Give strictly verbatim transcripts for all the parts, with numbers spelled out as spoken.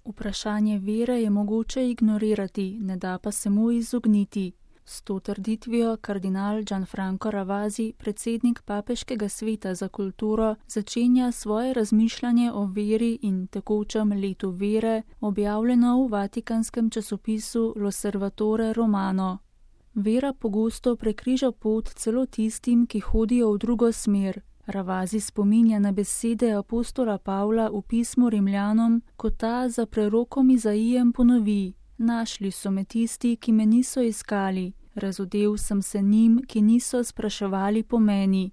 Vprašanje vere je mogoče ignorirati, ne da pa se mu izogniti. S to trditvijo kardinal Gianfranco Ravasi, predsednik Papeškega sveta za kulturo, začenja svoje razmišljanje o veri in tekočem letu vere, objavljeno v vatikanskem časopisu L'Osservatore Romano. Vera pogosto prekriža pot celo tistim, ki hodijo v drugo smer. Ravasi spominja na besede apostola Pavla v pismu Rimljanom, ko ta za prerokom Izaijem ponovi: Našli so me tisti, ki me niso iskali, razodel sem se njim, ki niso spraševali po meni.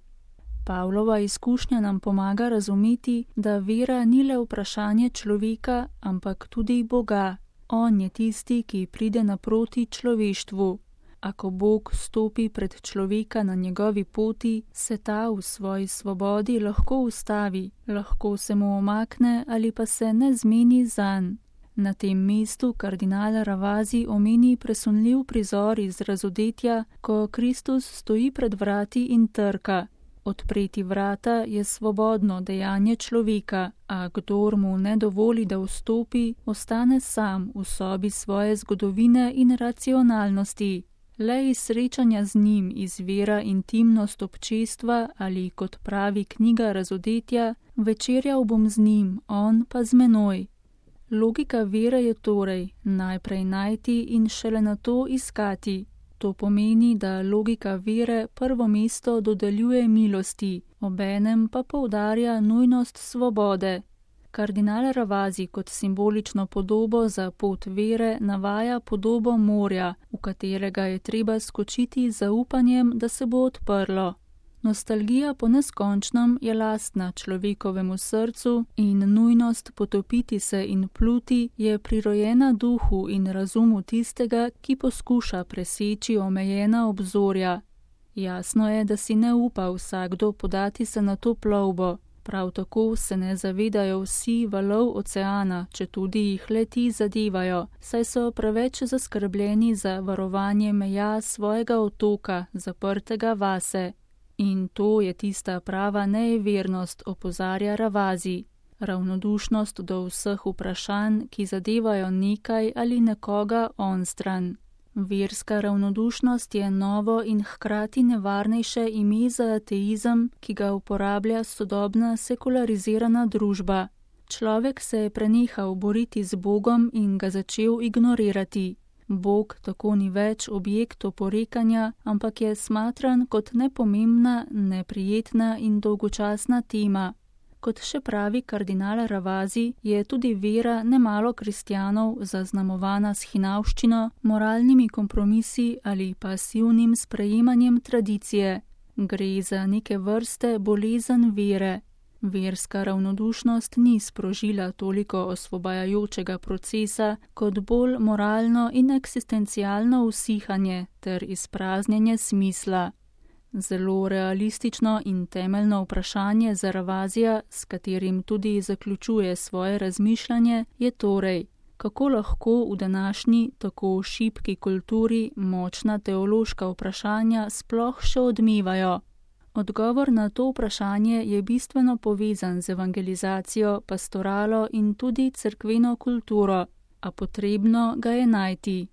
Pavlova izkušnja nam pomaga razumeti, da vera ni le vprašanje človeka, ampak tudi Boga. On je tisti, ki pride naproti človeštvu. Ako Bog stopi pred človeka na njegovi poti, se ta v svoji svobodi lahko ustavi, lahko se mu omakne ali pa se ne zmeni zanj. Na tem mestu kardinal Ravasi omeni presunljiv prizor iz razodetja, ko Kristus stoji pred vrati in trka. Odpreti vrata je svobodno dejanje človeka, a kdor mu ne dovoli, da vstopi, ostane sam v sobi svoje zgodovine in racionalnosti. Le iz srečanja z njim izvira intimnost občestva ali, kot pravi knjiga Razodetja, večerjal bom z njim, on pa z menoj. Logika vere je torej najprej najti in šele nato iskati. To pomeni, da logika vere prvo mesto dodeljuje milosti, obenem pa poudarja nujnost svobode. Kardinal Ravasi kot simbolično podobo za pot vere navaja podobo morja, v katerega je treba skočiti z zaupanjem, da se bo odprlo. Nostalgija po neskončnem je lastna človekovemu srcu in nujnost potopiti se in pluti je prirojena duhu in razumu tistega, ki poskuša preseči omejena obzorja. Jasno je, da si ne upa vsakdo podati se na to plovbo. Prav tako se ne zavedajo vsi valov oceana, četudi jih le-ti zadevajo, saj so preveč zaskrbljeni za varovanje meja svojega otoka, zaprtega vase. In to je tista prava nejevernost, opozarja Ravasi. Ravnodušnost do vseh vprašanj, ki zadevajo nekaj ali nekoga onstran. Verska ravnodušnost je novo in hkrati nevarnejše ime za ateizem, ki ga uporablja sodobna sekularizirana družba. Človek se je prenehal boriti z Bogom in ga začel ignorirati. Bog tako ni več objekt oporekanja, ampak je smatran kot nepomembna, neprijetna in dolgočasna tema. Kot še pravi kardinal Ravasi, je tudi vera nemalo kristjanov zaznamovana s hinavščino, moralnimi kompromisi ali pasivnim sprejemanjem tradicije. Gre za neke vrste bolezen vere. Verska ravnodušnost ni sprožila toliko osvobajajočega procesa, kot bolj moralno in eksistencialno usihanje ter izpraznjenje smisla. Zelo realistično in temeljno vprašanje za Ravasija, s katerim tudi zaključuje svoje razmišljanje, je torej, kako lahko v današnji tako šibki kulturi močna teološka vprašanja sploh še odmevajo. Odgovor na to vprašanje je bistveno povezan z evangelizacijo, pastoralo in tudi cerkveno kulturo, a potrebno ga je najti.